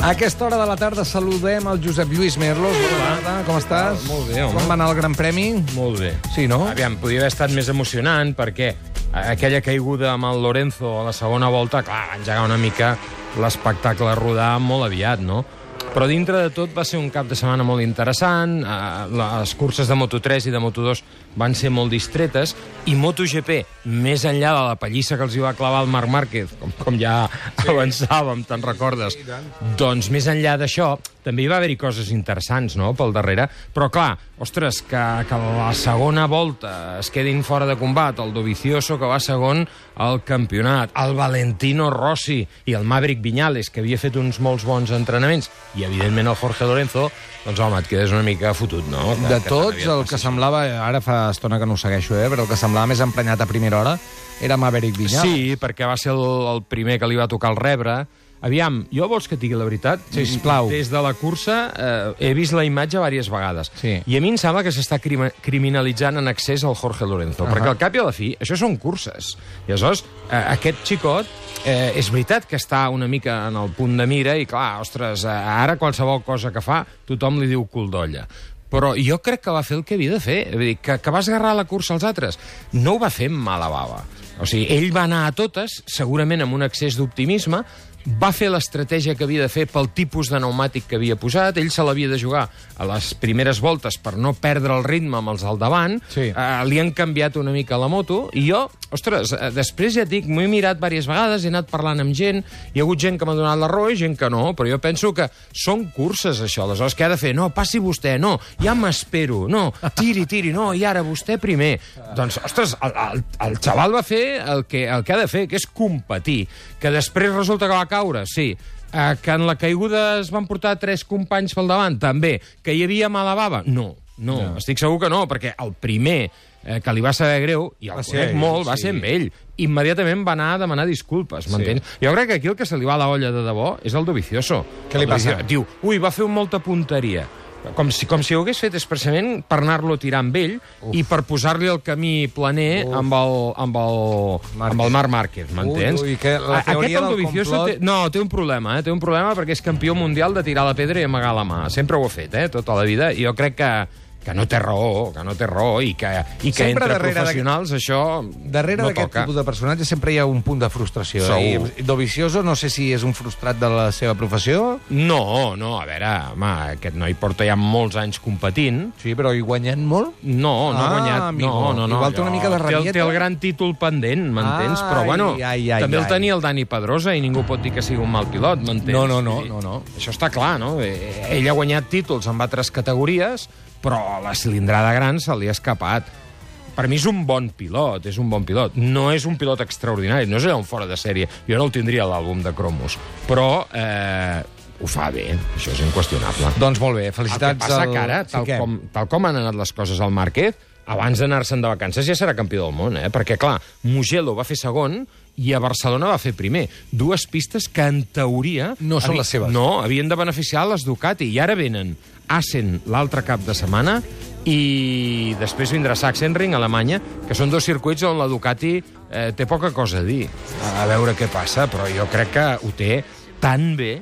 A aquesta hora de la tarda saludem el Josep Lluís Merlos. Bona tarda, com estàs? Molt bé, home. Com va anar el Gran Premi? Molt bé. Sí, no? Aviam, podia haver estat més emocionant perquè aquella caiguda amb el Lorenzo a la segona volta, clar, va engegar una mica l'espectacle a rodar molt aviat, no? Però dintre de tot va ser un cap de setmana molt interessant, les curses de Moto3 i de Moto2 van ser molt distretes, i MotoGP, més enllà de la pallissa que els hi va clavar el Marc Márquez, com ja avançàvem, te'n recordes, doncs més enllà d'això, també hi va haver-hi coses interessants, no?, pel darrere, però clar, ostres, que la segona volta es quedin fora de combat, el Dovizioso, que va segon al campionat, el Valentino Rossi i el Maverick Viñales, que havia fet uns molts bons entrenaments, i evidentment el Jorge Lorenzo, doncs home, et quedes una mica fotut, no? De tots, el que semblava, ara fa estona que no ho segueixo, però el que semblava més emprenyat a primera hora era Maverick Viñales. Sí, perquè va ser el primer que li va tocar el rebre. Aviam, jo vols que et digui la veritat? Sisplau. Des de la cursa he vist la imatge diverses vegades. Sí. I a mi em sembla que s'està criminalitzant en excés el Jorge Lorenzo. Perquè al cap i a la fi, això són curses. I aleshores, aquest xicot, és veritat que està una mica en el punt de mira i, clar, ostres, ara qualsevol cosa que fa, tothom li diu cul d'olla. Però jo crec que va fer el que havia de fer. Vull dir, que va esgarrar la cursa als altres. No ho va fer amb mala bava. O sigui, ell va anar a totes, segurament amb un excés d'optimisme, va fer l'estratègia que havia de fer pel tipus de pneumàtic que havia posat, ell se l'havia de jugar a les primeres voltes per no perdre el ritme amb els al davant, sí. Li han canviat una mica la moto, i jo, ostres, després ja et dic, m'ho he mirat diverses vegades, he anat parlant amb gent, hi ha hagut gent que m'ha donat la raó i gent que no, però jo penso que són curses, això, aleshores què ha de fer? No, passi vostè, no, ja m'espero, no, tiri, no, i ara vostè primer. Doncs, ostres, el xaval va fer el que ha de fer, que és competir, que després resulta que va caure, sí. Que en la caiguda es van portar 3 companys pel davant, també. Que hi havia mala bava? No, estic segur que no, perquè el primer que li va saber greu, i el conec molt, va ser amb ell. Immediatament va anar a demanar disculpes, m'entens? Sí. Jo crec que aquí el que se li va a la olla de debò és el Dovizioso. Què li passa? Diu, va fer molta punteria. Com si ho hagués fet expressament per anar-lo a tirar amb ell i per posar-li el camí planer amb el Marc Márquez, m'entens? La teoria del complot... té un problema, té un problema perquè és campió mundial de tirar la pedra i amagar la mà. Sempre ho ha fet, tota la vida, i jo crec que no té raó, i que entre professionals això darrere no d'aquest toca. tipus de personatge sempre hi ha un punt de frustració. Segur. I Dovizioso no sé si és un frustrat de la seva professió. No, a veure, home, aquest noi porta ja molts anys competint. Sí, però hi guanyant molt? No ha guanyat. Amigo. No. Igual té una mica de rabieta. Té el gran títol pendent, m'entens? Però, bueno, també el tenia el Dani Pedrosa i ningú pot dir que sigui un mal pilot, m'entens? No. Això està clar, no? Ell ha guanyat títols en altres categories, però la cilindrada gran se li ha escapat. Per mi és un bon pilot, No és un pilot extraordinari, no és un fora de sèrie. Jo no el tindria a l'àlbum de cromos. Però ho fa bé, això és inqüestionable. Doncs molt bé, felicitats. El que passa que ara, tal com han anat les coses al Márquez, abans d'anar-se'n de vacances ja serà campió del món, perquè, clar, Mugello va fer segon i a Barcelona va fer primer. 2 pistes que, en teoria... No són les seves. No, havien de beneficiar les Ducati, i ara venen Assen l'altre cap de setmana i després vindrà Sachsenring, a Alemanya, que són 2 circuits on la Ducati té poca cosa a dir. A veure què passa, però jo crec que ho té tan bé.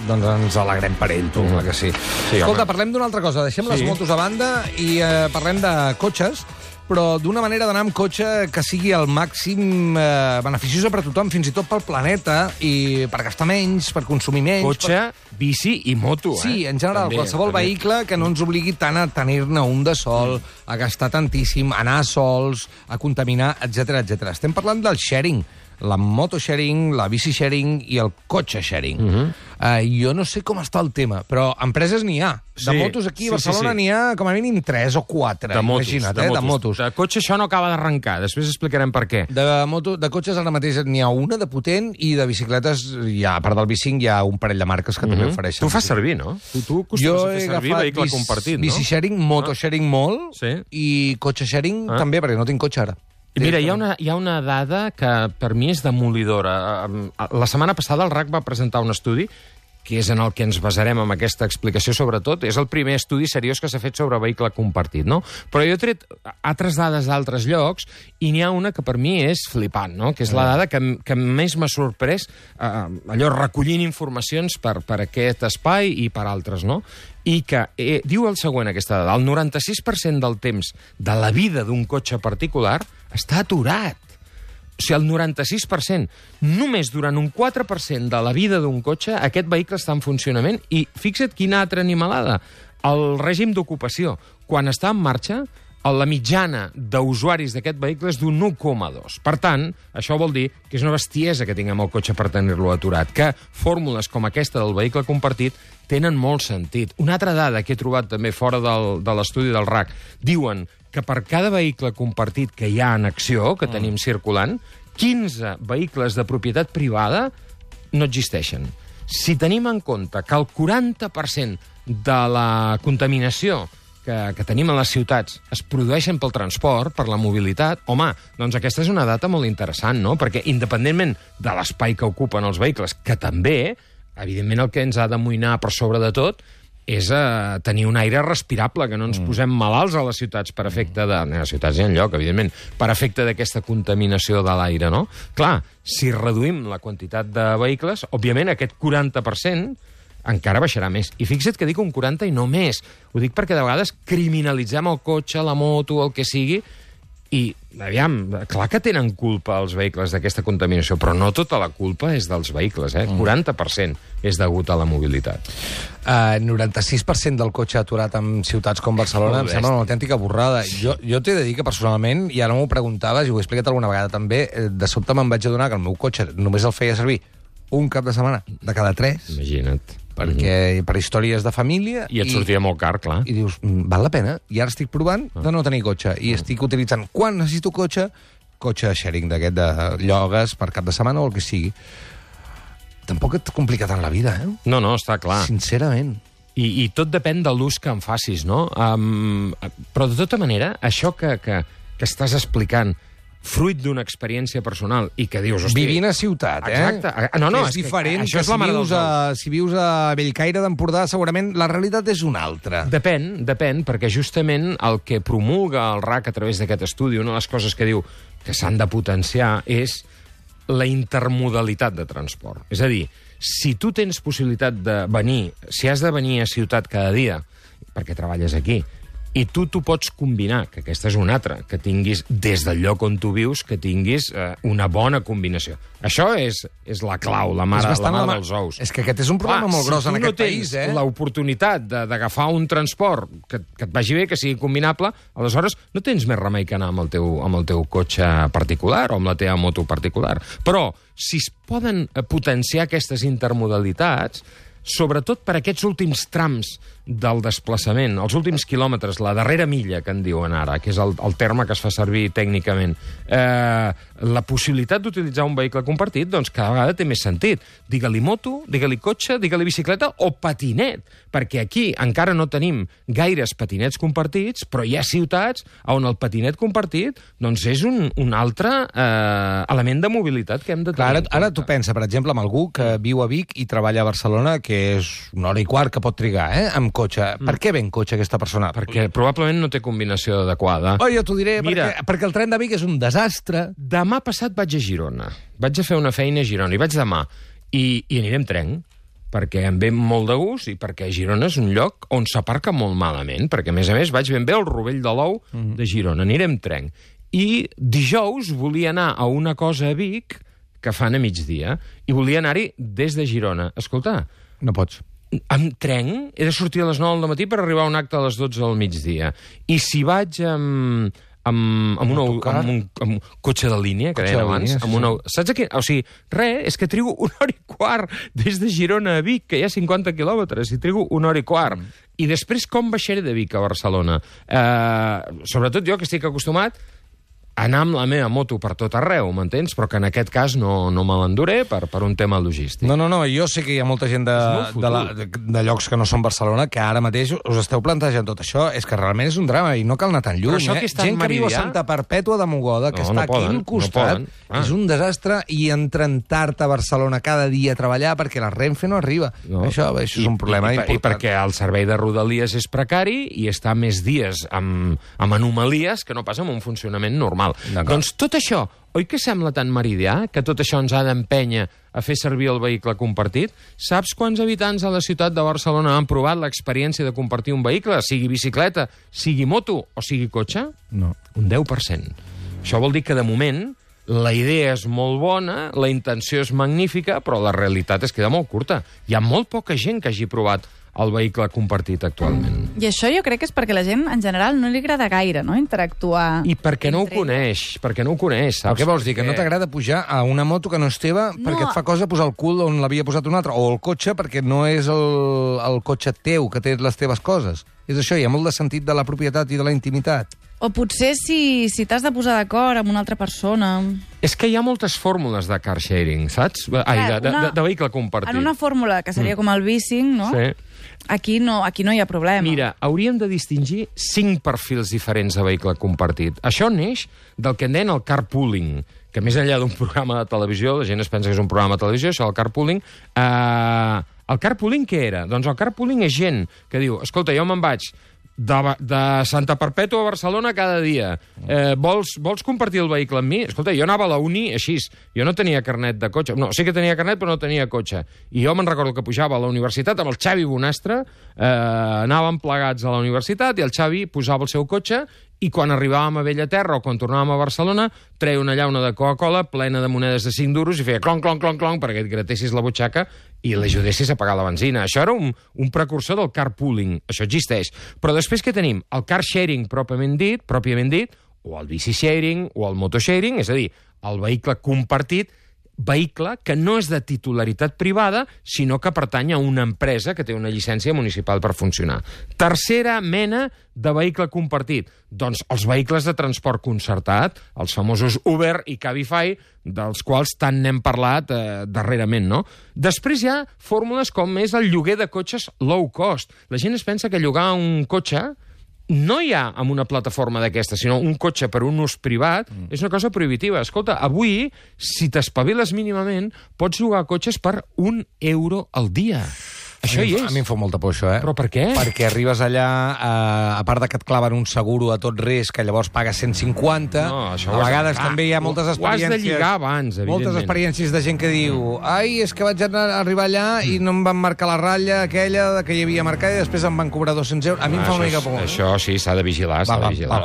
Doncs ens alegrem per ell, tu, que sí. Escolta, parlem d'una altra cosa. Deixem les motos a banda i parlem de cotxes, però d'una manera d'anar amb cotxe que sigui al màxim beneficiosa per a tothom, fins i tot pel planeta, i per gastar menys, per consumir menys... Cotxe, bici i moto, Sí, en general, qualsevol vehicle que no ens obligui tant a tenir-ne un de sol, a gastar tantíssim, a anar sols, a contaminar, etc. Estem parlant del sharing. La moto-sharing, la bici-sharing i el cotxe-sharing. Jo no sé com està el tema, però empreses n'hi ha. De motos aquí a Barcelona n'hi ha com a mínim 3 o 4. Imagina't, de motos. De cotxe això no acaba d'arrencar, després explicarem per què. De cotxes ara mateix n'hi ha una de potent, i de bicicletes, a part del bicing, hi ha un parell de marques que també ofereixen. Tu fas servir, no? Tu acostumes a fer servir vehicle compartit, no? Bici-sharing, moto-sharing molt, i cotxe-sharing també, perquè no tinc cotxe ara. Mira, hi ha una dada que per mi és demolidora. La setmana passada el RAC va presentar un estudi que és en el que ens basarem amb aquesta explicació, sobretot, és el primer estudi seriós que s'ha fet sobre vehicle compartit, no? Però jo he tret altres dades d'altres llocs i n'hi ha una que per mi és flipant, no? Que és la dada que més m'ha sorprès, allò recollint informacions per aquest espai i per altres, no? I que diu el següent, aquesta dada: el 96% del temps de la vida d'un cotxe particular està aturat. O sigui, el 96%. Només durant un 4% de la vida d'un cotxe aquest vehicle està en funcionament. I fixa't quina altra animalada. El règim d'ocupació, quan està en marxa, la mitjana d'usuaris d'aquest vehicle és d'un 1,2. Per tant, això vol dir que és una bestiesa que tinguem el cotxe per tenir-lo aturat, que fórmules com aquesta del vehicle compartit tenen molt sentit. Una altra dada que he trobat també fora de l'estudi del RAC, diuen que per cada vehicle compartit que hi ha en acció, que tenim circulant, 15 vehicles de propietat privada no existeixen. Si tenim en compte que el 40% de la contaminació que tenim a les ciutats es produeixen pel transport, per la mobilitat, home, doncs aquesta és una data molt interessant, no? Perquè independentment de l'espai que ocupen els vehicles, que també, evidentment el que ens ha d'amoïnar per sobre de tot és tenir un aire respirable, que no ens posem malalts a les ciutats per efecte de... A les ciutats hi ha lloc, evidentment, per efecte d'aquesta contaminació de l'aire, no? Clar, si reduïm la quantitat de vehicles, òbviament aquest 40% encara baixarà més. I fixa't que dic un 40 i no més. Ho dic perquè de vegades criminalitzem el cotxe, la moto, el que sigui, i, aviam, clar que tenen culpa els vehicles d'aquesta contaminació, però no tota la culpa és dels vehicles, 40% és degut a la mobilitat. 96% del cotxe aturat en ciutats com Barcelona em sembla una autèntica borrada. Jo t'he de dir que personalment, i ara m'ho preguntaves, i ho he explicat alguna vegada també, de sobte me'n vaig adonar que el meu cotxe només el feia servir un cap de setmana de cada 3. Imagina't. Perquè per històries de família... I et sortia molt car, clar. I dius, val la pena? I ara estic provant de no tenir cotxe. I estic utilitzant, quan necessito cotxe sharing d'aquest de llogues per cap de setmana o el que sigui. Tampoc et complica tant la vida, eh? No, està clar. Sincerament. I tot depèn de l'ús que en facis, no? Però de tota manera, això que estàs explicant, fruit d'una experiència personal i que dius... Hosti, vivint a ciutat, exacte. No, és diferent. Això és si vius a Bellcaire d'Empordà, segurament la realitat és una altra. Depèn, perquè justament el que promulga el RAC a través d'aquest estudi, una de les coses que diu que s'han de potenciar és la intermodalitat de transport. És a dir, si tu tens possibilitat de venir, si has de venir a ciutat cada dia, perquè treballes aquí, i tu pots combinar, que aquesta és una altra, que tinguis, des del lloc on tu vius, que tinguis una bona combinació. Això és la clau, la mare dels ous. És que aquest és un problema molt gros en aquest país, Si tu no tens l'oportunitat d'agafar un transport que et vagi bé, que sigui combinable, aleshores no tens més remei que anar amb el teu cotxe particular o amb la teva moto particular. Però si es poden potenciar aquestes intermodalitats, sobretot per aquests últims trams del desplaçament, els últims quilòmetres, la darrera milla, que en diuen ara, que és el terme que es fa servir tècnicament, la possibilitat d'utilitzar un vehicle compartit, doncs cada vegada té més sentit. Digue-li moto, digue-li cotxe, digue-li bicicleta o patinet, perquè aquí encara no tenim gaires patinets compartits, però hi ha ciutats on el patinet compartit doncs és un altre element de mobilitat que hem de tenir. Ara tu pensa, per exemple, en algú que viu a Vic i treballa a Barcelona, que és 1 hora i quart que pot trigar, amb cotxe. Per què ve en cotxe aquesta persona? Perquè probablement no té combinació adequada. Jo t'ho diré, perquè el tren de Vic és un desastre. Demà passat vaig a Girona. Vaig a fer una feina a Girona i vaig demà. I aniré amb tren, perquè em ve molt de gust i perquè Girona és un lloc on s'aparca molt malament, perquè a més vaig ben bé al Rovell de l'Ou de Girona. Aniré amb tren. I dijous volia anar a una cosa a Vic que fan a migdia i volia anar-hi des de Girona. Escolta, no pots. Amb tren he de sortir a les 9 del matí per arribar a un acte a les 12 del migdia. I si vaig amb un cotxe de línia, que deien abans, saps aquí? O sigui, és que trigo 1 hora i quart des de Girona a Vic, que hi ha 50 quilòmetres, i trigo 1 hora i quart. I després com baixaré de Vic a Barcelona? Sobretot jo, que estic acostumat anar amb la meva moto per tot arreu, m'entens? Però que en aquest cas no me l'enduré per un tema logístic. No, jo sé que hi ha molta gent de llocs que no són Barcelona que ara mateix us esteu plantejant tot això. És que realment és un drama i no cal anar tan lluny. Gent que viu a Santa Perpètua de Mogoda, que està aquí al costat, és un desastre, i entren tard a Barcelona cada dia a treballar perquè la Renfe no arriba. Això és un problema important. I perquè el servei de Rodalies és precari i està més dies amb anomalies que no passa amb un funcionament normal. Doncs tot això, oi que sembla tan meridià, que tot això ens ha d'empènyer a fer servir el vehicle compartit? Saps quants habitants a la ciutat de Barcelona han provat l'experiència de compartir un vehicle, sigui bicicleta, sigui moto o sigui cotxe? No. Un 10%. Això vol dir que, de moment, la idea és molt bona, la intenció és magnífica, però la realitat es queda molt curta. Hi ha molt poca gent que hagi provat el vehicle compartit actualment. I això jo crec que és perquè la gent, en general, no li agrada gaire, no?, interactuar. I perquè no ho coneix, saps? Què vols dir? Que no t'agrada pujar a una moto que no és teva perquè et fa cosa posar el cul on l'havia posat un altre, o el cotxe perquè no és el cotxe teu, que té les teves coses. És això, hi ha molt de sentit de la propietat i de la intimitat. O potser si t'has de posar d'acord amb una altra persona. És que hi ha moltes fórmules de car sharing, saps? De vehicle compartit. En una fórmula que seria com el bicing, no? Sí. Aquí no hi ha problema. Mira, hauríem de distingir 5 perfils diferents de vehicle compartit. Això neix del que en deien el carpooling, que més enllà d'un programa de televisió, la gent es pensa que és un programa de televisió, això, el carpooling. El carpooling què era? Doncs el carpooling és gent que diu, escolta, jo me'n vaig de Santa Perpètua a Barcelona cada dia. Vols compartir el vehicle amb mi? Escolta, jo anava a la uni així. Jo no tenia carnet de cotxe. No, sí que tenia carnet, però no tenia cotxe. I jo me'n recordo que pujava a la universitat amb el Xavi Bonastre, anàvem plegats a la universitat i el Xavi posava el seu cotxe i quan arribàvem a Bellaterra o quan tornàvem a Barcelona treia una llauna de Coca-Cola plena de monedes de 5 duros i feia clonc, clonc, clonc, clonc perquè et gratessis la butxaca i l'ajudessis a pagar la benzina. Això era un precursor del carpooling. Això existeix. Però després que tenim el car sharing pròpiament dit, o el bici sharing, o el moto sharing, és a dir, el vehicle compartit, vehicle que no és de titularitat privada, sinó que pertany a una empresa que té una llicència municipal per funcionar. Tercera mena de vehicle compartit. Doncs els vehicles de transport concertat, els famosos Uber i Cabify, dels quals tant n'hem parlat darrerament, no? Després hi ha fórmules com és el lloguer de cotxes low cost. La gent es pensa que llogar un cotxe no hi ha amb una plataforma d'aquesta, sinó un cotxe per un ús privat, és una cosa prohibitiva. Escolta, avui, si t'espaviles mínimament, pots llogar cotxes per €1 al dia. Això hi és. A mi em fa molta por, això, Però per què? Perquè arribes allà, a part de que et claven un seguro a tot risc, que llavors pagues 150, a vegades també hi ha moltes experiències... Ho has de lligar abans, evidentment. Moltes experiències de gent que diu és que vaig arribar allà i no em van marcar la ratlla aquella que hi havia marcada i després em van cobrar 200 euros. A mi em fa una mica por. Això sí, s'ha de vigilar,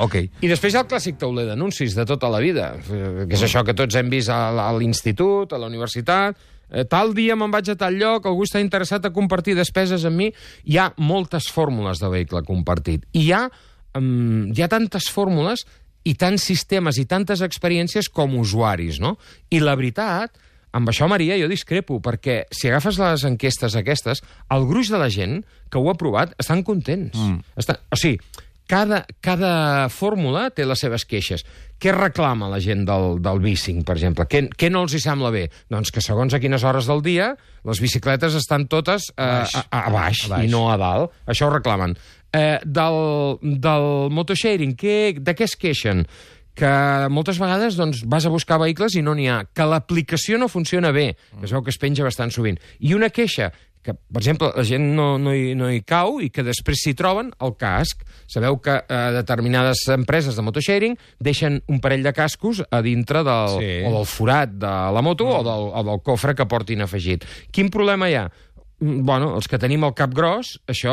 okay. I després hi ha el clàssic tauler d'anuncis de tota la vida, que és això que tots hem vist a l'institut, a la universitat... Tal dia me'n vaig a tal lloc, algú està interessat a compartir despeses amb mi. Hi ha moltes fórmules de vehicle compartit. I hi ha tantes fórmules i tants sistemes i tantes experiències com usuaris, no? I la veritat, amb això, Maria, jo discrepo, perquè si agafes les enquestes aquestes, el gruix de la gent que ho ha provat estan contents. O sigui, cada fórmula té les seves queixes. Què reclama la gent del bicing, per exemple? Què no els hi sembla bé? Doncs que segons a quines hores del dia les bicicletes estan totes a baix i no a dalt. Això ho reclamen. Del motosharing, de què es queixen? Que moltes vegades vas a buscar vehicles i no n'hi ha. Que l'aplicació no funciona bé, que es veu que es penja bastant sovint. I una queixa que, per exemple, la gent no hi cau i que després s'hi troben el casc. Sabeu que determinades empreses de motosharing deixen un parell de cascos a dintre o del forat de la moto o del cofre que portin afegit. Quin problema hi ha? Bueno, els que tenim el cap gros, això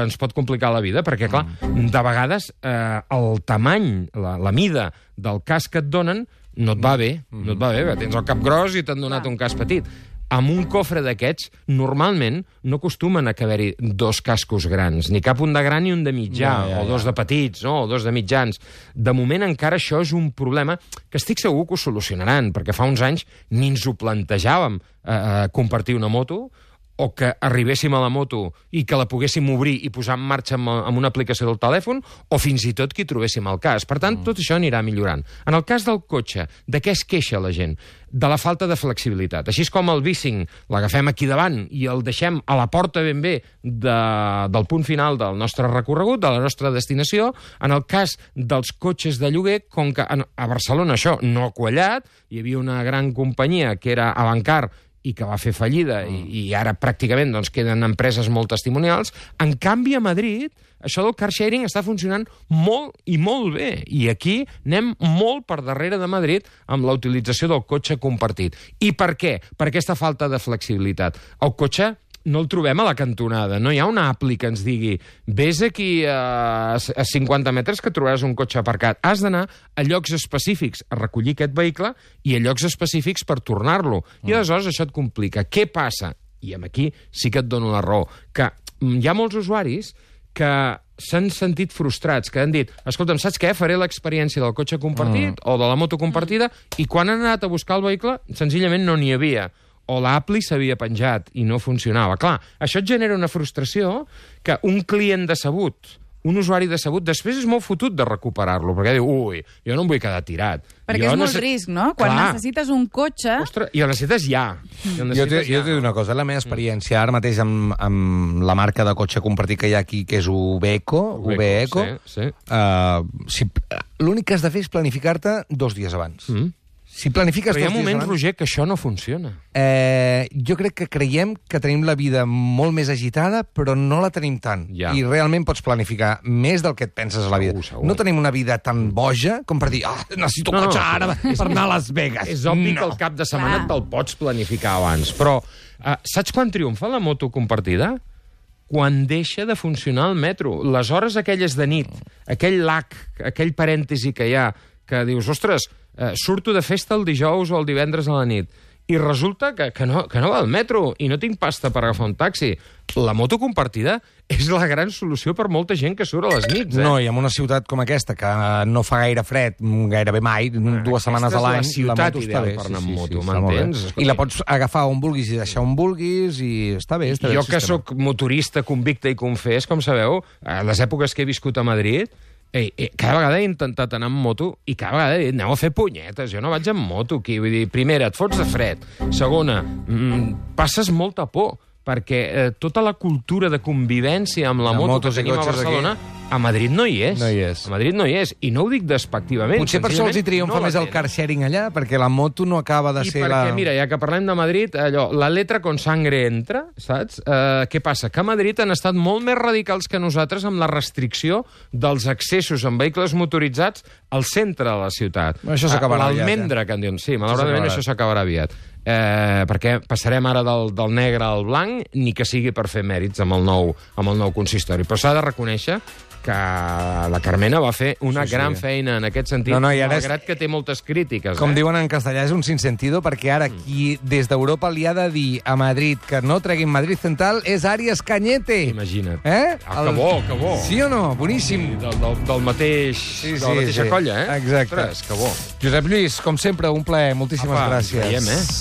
ens pot complicar la vida, perquè, clar, de vegades el tamany, la mida del casc que et donen no et va bé. No et va bé, perquè tens el cap gros i t'han donat un casc petit. Amb un cofre d'aquests, normalment, no acostumen a haver-hi 2 cascos grans, ni cap un de gran ni un de mitjà, o 2 de petits, no? O 2 de mitjans. De moment encara això és un problema que estic segur que ho solucionaran, perquè fa uns anys ni ens ho plantejàvem compartir una moto, o que arribéssim a la moto i que la poguéssim obrir i posar en marxa amb una aplicació del telèfon, o fins i tot que hi trobéssim al cas. Per tant, tot això anirà millorant. En el cas del cotxe, de què es queixa la gent? De la falta de flexibilitat. Així com el bicing l'agafem aquí davant i el deixem a la porta ben bé del punt final del nostre recorregut, de la nostra destinació, en el cas dels cotxes de lloguer, com que a Barcelona això no ha quallat, hi havia una gran companyia que era Avancar i que va fer fallida, i ara pràcticament doncs, queden empreses molt testimonials. En canvi, a Madrid, això del car sharing està funcionant molt i molt bé. I aquí anem molt per darrere de Madrid amb la utilització del cotxe compartit. I per què? Per aquesta falta de flexibilitat. El cotxe no el trobem a la cantonada. No hi ha una appli que ens digui vés aquí a 50 metres que trobaràs un cotxe aparcat. Has d'anar a llocs específics a recollir aquest vehicle i a llocs específics per tornar-lo. I aleshores això et complica. Què passa? I aquí sí que et dono la raó. Que hi ha molts usuaris que s'han sentit frustrats, que han dit, escolta'm, saps què? Faré l'experiència del cotxe compartit o de la moto compartida, i quan han anat a buscar el vehicle, senzillament no n'hi havia. O l'appli s'havia penjat i no funcionava. Clar, això et genera una frustració que un client decebut, un usuari decebut, després és molt fotut de recuperar-lo, perquè diu, ui, jo no em vull quedar tirat. Perquè és molt risc, no? Quan necessites un cotxe... Ostres, i el necessites ja. Jo t'he de dir una cosa, la meva experiència ara mateix amb la marca de cotxe compartit que hi ha aquí, que és Ubeco, sí. L'únic que has de fer és planificar-te 2 dies abans. Si planifiques però hi ha 2 dies moments, abans... Roger, que això no funciona. Jo crec que creiem que tenim la vida molt més agitada, però no la tenim tant. Ja. I realment pots planificar més del que et penses a la vida. Segur. No tenim una vida tan boja com per dir necessito un cotxe ara per anar a Las Vegas. És obvi que el cap de setmana te'l pots planificar abans. Però saps quan triomfa la moto compartida? Quan deixa de funcionar el metro. Les hores aquelles de nit, aquell lag, aquell parèntesi que hi ha, que dius, ostres, surto de festa el dijous o el divendres a la nit, i resulta que no va al metro i no tinc pasta per agafar un taxi. La moto compartida és la gran solució per molta gent que surt a les nits. No, i en una ciutat com aquesta, que no fa gaire fred, gairebé mai, 2 setmanes a l'any, la moto està bé per anar amb moto, m'entens? I la pots agafar on vulguis i deixar on vulguis, i està bé. Jo que sóc motorista convicte i confés, com sabeu, a les èpoques que he viscut a Madrid, cada vegada he intentat anar amb moto i cada vegada he dit, aneu a fer punyetes, jo no vaig amb moto aquí. Vull dir, primera, et fots de fred. Segona, passes molta por, perquè tota la cultura de convivència amb la moto que tenim a Barcelona, a Madrid no hi és. No hi és. A Madrid no hi és, i no ho dic despectivament. Potser per això els hi triomfa més el car sharing allà, perquè la moto no acaba de ser la... I perquè, mira, ja que parlem de Madrid, allò, la letra con sangre entra, saps? Què passa? Que a Madrid han estat molt més radicals que nosaltres amb la restricció dels accessos amb vehicles motoritzats al centre de la ciutat. Això s'acabarà aviat. L'almendra, que en diuen. Sí, malauradament això s'acabarà aviat. Perquè passarem ara del negre al blanc, ni que sigui per fer mèrits amb el nou consistori. Però s'ha de reconèixer que la Carmena va fer una gran feina en aquest sentit, malgrat que té moltes crítiques. Com diuen en castellà, és un sinsentido, perquè ara qui des d'Europa li ha de dir a Madrid que no treguin Madrid Central és Arias Cañete. Imagina't. Que bo. Sí o no? Boníssim. Del mateix... de la mateixa colla, Exacte. Ostres, que bo. Josep Lluís, com sempre, un plaer. Moltíssimes gràcies. Veiem,